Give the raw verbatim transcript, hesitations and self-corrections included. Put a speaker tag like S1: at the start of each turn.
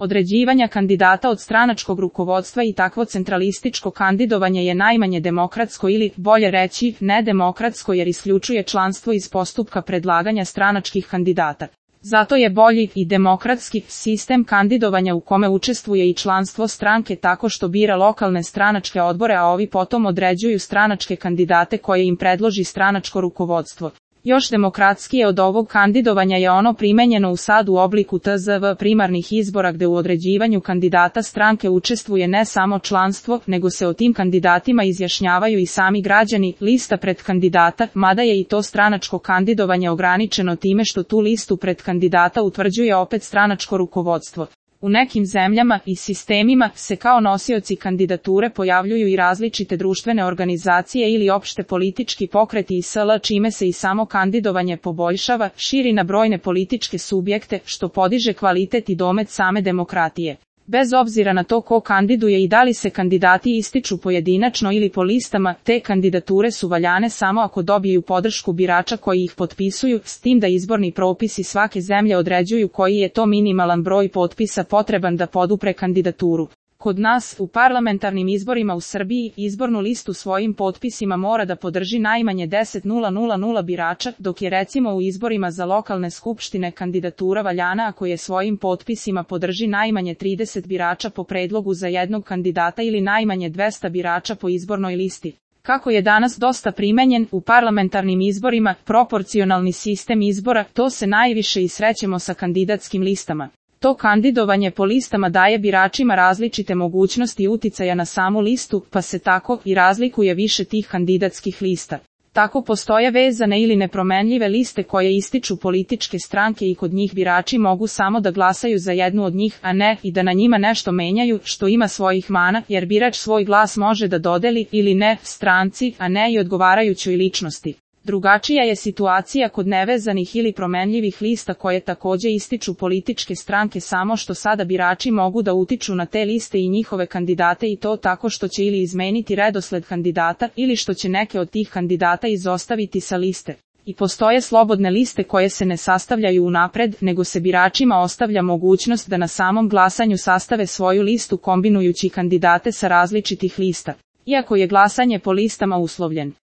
S1: određivanja kandidata od stranačkog rukovodstva i takvo centralističko kandidovanje je najmanje demokratsko ili, bolje reći, nedemokratsko jer isključuje članstvo iz postupka predlaganja stranačkih kandidata. Zato je bolji i demokratski sistem kandidovanja u kome učestvuje i članstvo stranke tako što bira lokalne stranačke odbore, a ovi potom određuju stranačke kandidate koje im predloži stranačko rukovodstvo. Još demokratskije od ovog kandidovanja je ono primenjeno u sad u obliku T Z V primarnih izbora gde u određivanju kandidata stranke učestvuje ne samo članstvo, nego se o tim kandidatima izjašnjavaju i sami građani, lista pred kandidata, mada je i to stranačko kandidovanje ograničeno time što tu listu pred kandidata utvrđuje opet stranačko rukovodstvo. U nekim zemljama i sistemima se kao nosioci kandidature pojavljuju i različite društvene organizacije ili opšte politički pokreti i sl. Čime se i samo kandidovanje poboljšava, širi na brojne političke subjekte, što podiže kvalitet i domet same demokratije. Bez obzira na to ko kandiduje i da li se kandidati ističu pojedinačno ili po listama, te kandidature su valjane samo ako dobiju podršku birača koji ih potpisuju, s tim da izborni propisi svake zemlje određuju koji je to minimalan broj potpisa potreban da podupre kandidaturu. Kod nas, u parlamentarnim izborima u Srbiji, izbornu listu svojim potpisima mora da podrži najmanje deset hiljada birača, dok je recimo u izborima za lokalne skupštine kandidatura valjana ako je svojim potpisima podrži najmanje trideset birača po predlogu za jednog kandidata ili najmanje dvesta birača po izbornoj listi. Kako je danas dosta primenjen u parlamentarnim izborima proporcionalni sistem izbora, to se najviše i srećemo sa kandidatskim listama. To kandidovanje po listama daje biračima različite mogućnosti uticaja na samu listu, pa se tako i razlikuje više tih kandidatskih lista. Tako postoje vezane ili nepromenljive liste koje ističu političke stranke i kod njih birači mogu samo da glasaju za jednu od njih, a ne i da na njima nešto menjaju, što ima svojih mana, jer birač svoj glas može da dodeli ili ne stranci, a ne i odgovarajućoj ličnosti. Drugačija je situacija kod nevezanih ili promenljivih lista koje takođe ističu političke stranke, samo što sada birači mogu da utiču na te liste i njihove kandidate i to tako što će ili izmeniti redosled kandidata ili što će neke od tih kandidata izostaviti sa liste. I postoje slobodne liste koje se ne sastavljaju unapred, nego se biračima ostavlja mogućnost da na samom glasanju sastave svoju listu kombinujući kandidate sa različitih lista. Iako je glasanje po listama uslovljen